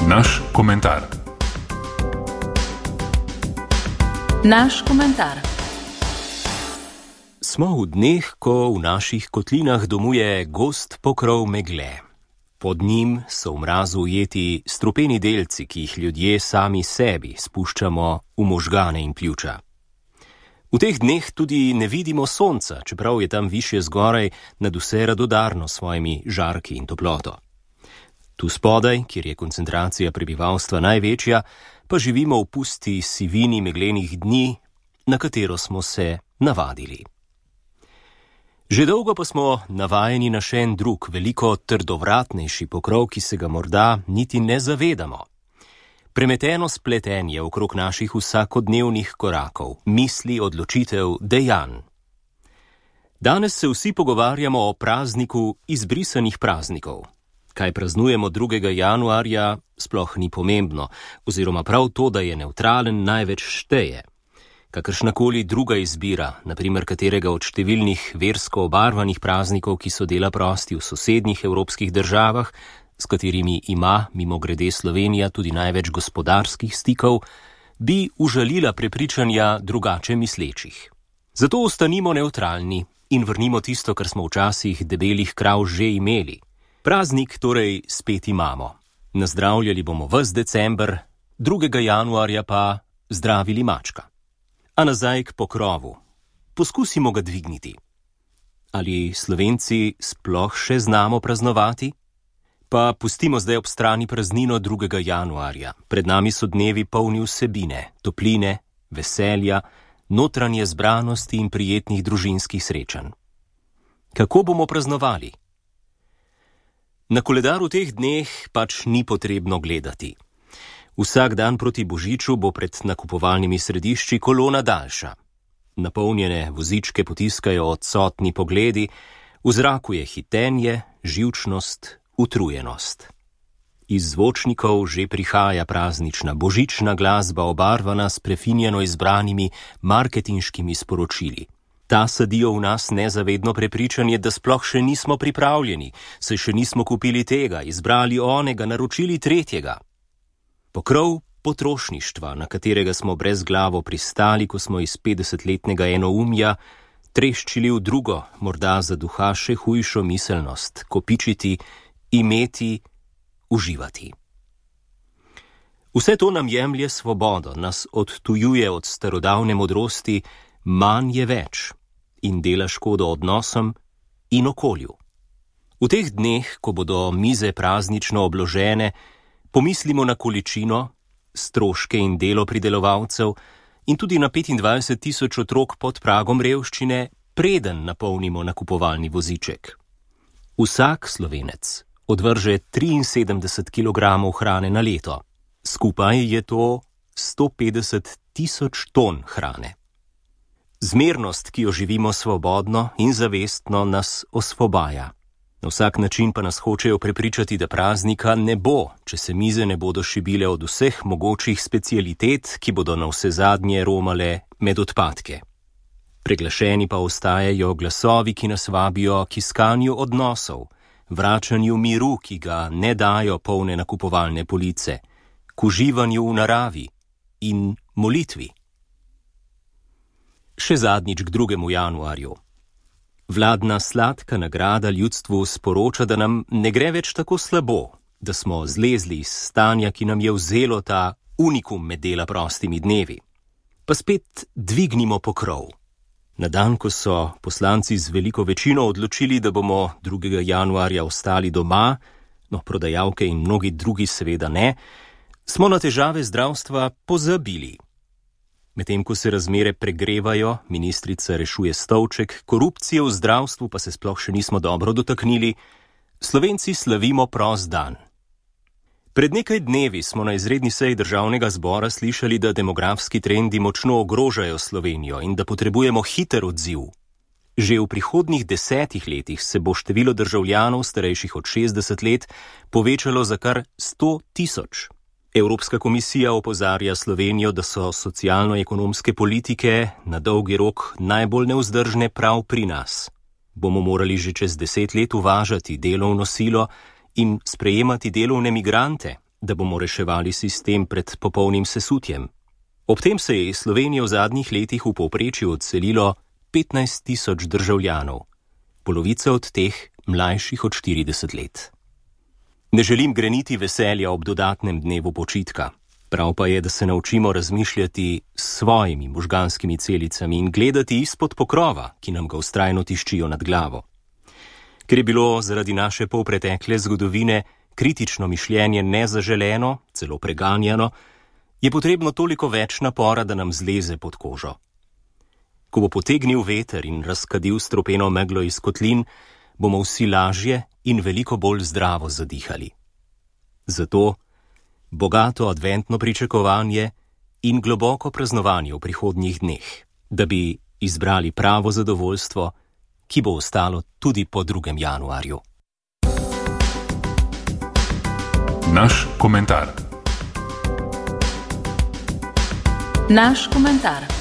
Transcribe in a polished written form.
Naš komentar. Naš komentar. Smo v dneh, ko v naših kotlinah domuje gost pokrov megle. Pod njim so v mrazu ujeti strupeni delci, ki jih ljudje sami sebi spuščamo v možgane in pljuča. V teh dneh tudi ne vidimo sonca, čeprav je tam višje zgoraj nadvse radodarno s svojimi žarki in toploto. Tu spodaj, kjer je koncentracija prebivalstva največja, pa živimo v pusti sivini meglenih dni, na katero smo se navadili. Že dolgo pa smo navajeni na še en drug, veliko trdovratnejši pokrov, ki se ga morda niti ne zavedamo. Premeteno spletenje okrog naših vsakodnevnih korakov, misli, odločitev, dejanj. Danes se vsi pogovarjamo o prazniku izbrisanih praznikov. Kaj praznujemo 2. januarja, sploh ni pomembno, oziroma prav to, da je nevtralen, največ šteje. Kakršnakoli druga izbira, naprimer katerega od številnih versko obarvanih praznikov, ki so dela prosti v sosednjih evropskih državah, s katerimi ima, mimogrede Slovenija, tudi največ gospodarskih stikov, bi užalila prepričanja drugače mislečih. Zato ostanimo nevtralni in vrnimo tisto, kar smo včasih debelih krav že imeli. Praznik torej spet imamo. Nazdravljali bomo ves december, 2. januarja pa zdravili mačka. A nazaj k pokrovu. Poskusimo ga dvigniti. Ali Slovenci sploh še znamo praznovati? Pa pustimo zdaj ob strani praznino 2. januarja. Pred nami so dnevi polni vsebine, topline, veselja, notranje zbranosti in prijetnih družinskih srečanj. Kako bomo praznovali? Na koledar v teh dneh pač ni potrebno gledati. Vsak dan proti Božiču bo pred nakupovalnimi središči kolona daljša. Napolnjene vozičke potiskajo odsotni pogledi, v zraku je hitenje, živčnost, utrujenost. Iz zvočnikov že prihaja praznična božična glasba, obarvana s prefinjeno izbranimi marketinškimi sporočili. Ta sadijo v nas nezavedno prepričanje, da sploh še nismo pripravljeni, saj še nismo kupili tega, izbrali onega, naročili tretjega. Pokrov potrošništva, na katerega smo brezglavo pristali, ko smo iz 50-letnega enoumja treščili v drugo, morda za duha še hujšo miselnost, kopičiti, imeti, uživati. Vse to nam jemlje svobodo, nas odtujuje od starodavne modrosti, manj je več in dela škodo odnosom in okolju. V teh dneh, ko bodo mize praznično obložene, pomislimo na količino, stroške in delo pridelovalcev in tudi na 25.000 otrok pod pragom revščine, preden napolnimo nakupovalni voziček. Vsak Slovenec odvrže 73 kg hrane na leto. Skupaj je to 150.000 ton hrane. Zmernost, ki jo živimo svobodno in zavestno, nas osvobaja. Na vsak način pa nas hočejo prepričati, da praznika ne bo, če se mize ne bodo šibile od vseh mogočih specialitet, ki bodo na vse zadnje romale med odpadke. Preglašeni pa ostajajo glasovi, ki nas vabijo k iskanju odnosov, vračanju miru, ki ga ne dajo polne nakupovalne police, k uživanju v naravi in molitvi. Še zadnjič k 2. januarju. Vladna sladka nagrada ljudstvu sporoča, da nam ne gre več tako slabo, da smo zlezli iz stanja, ki nam je vzelo ta unikum med dela prostimi dnevi. Pa spet dvignimo pokrov. Na dan, ko so poslanci z veliko večino odločili, da bomo 2. januarja ostali doma, no, prodajalke in mnogi drugi seveda ne, smo na težave zdravstva pozabili. Medtem ko se razmere pregrevajo, ministrica rešuje stolček, korupcije v zdravstvu pa se sploh še nismo dobro dotaknili, Slovenci slavimo prost dan. Pred nekaj dnevi smo na izredni seji Državnega zbora slišali, da demografski trendi močno ogrožajo Slovenijo in da potrebujemo hiter odziv. Že v prihodnjih 10 letih se bo število državljanov starejših od 60 let povečalo za kar 100.000. Evropska komisija opozarja Slovenijo, da so socialno-ekonomske politike na dolgi rok najbolj nevzdržne prav pri nas. Bomo morali že čez 10 let uvažati delovno silo in sprejemati delovne migrante, da bomo reševali sistem pred popolnim sesutjem. Ob tem se je iz Slovenije v zadnjih letih v povprečju odselilo 15.000 državljanov, polovica od teh mlajših od 40 let. Ne želim greniti veselja ob dodatnem dnevu počitka. Prav pa je, da se naučimo razmišljati s svojimi možganskimi celicami in gledati izpod pokrova, ki nam ga vztrajno tiščijo nad glavo. Ker je bilo zaradi naše polpretekle zgodovine kritično mišljenje nezaželeno, celo preganjano, je potrebno toliko več napora, da nam zleze pod kožo. Ko bo potegnil veter in razkadil stropeno meglo iz kotlin, bomo vsi lažje in veliko bolj zdravo zadihali. Zato bogato adventno pričakovanje in globoko praznovanje v prihodnjih dneh, da bi izbrali pravo zadovoljstvo, ki bo ostalo tudi po 2. januarju. Naš komentar. Naš komentar.